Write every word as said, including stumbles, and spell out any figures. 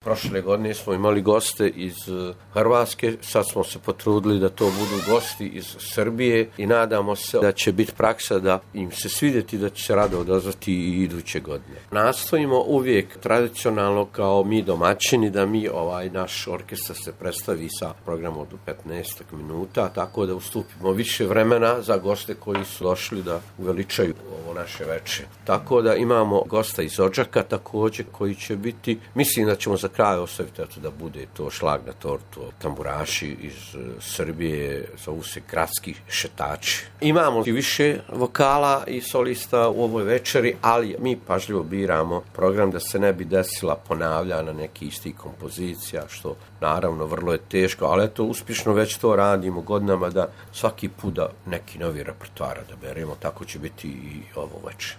Prošle godine smo imali goste iz Hrvatske, sad smo se potrudili da to budu gosti iz Srbije i nadamo se da će biti praksa da im se svidjeti, da će se rado odazvati i iduće godine. Nastojimo uvijek tradicionalno kao mi domaćini da mi ovaj naš orkestar se predstavi sa programom od petnaest minuta, tako da ustupimo više vremena za goste koji su došli da uveličaju ovo naše veče. Tako da imamo gosta iz Odžaka također koji će biti, mislim da ćemo za kraj ostaviti da bude to šlag na tortu, tamburaši iz Srbije, zovu se gradski šetači. Imamo i više vokala i solista u ovoj večeri, ali mi pažljivo biramo program da se ne bi desila ponavljana neki isti kompozicija, što naravno vrlo je teško, ali eto uspješno već to radimo godinama da svaki put da neki novi repertoar da beremo, tako će biti i ovo večer.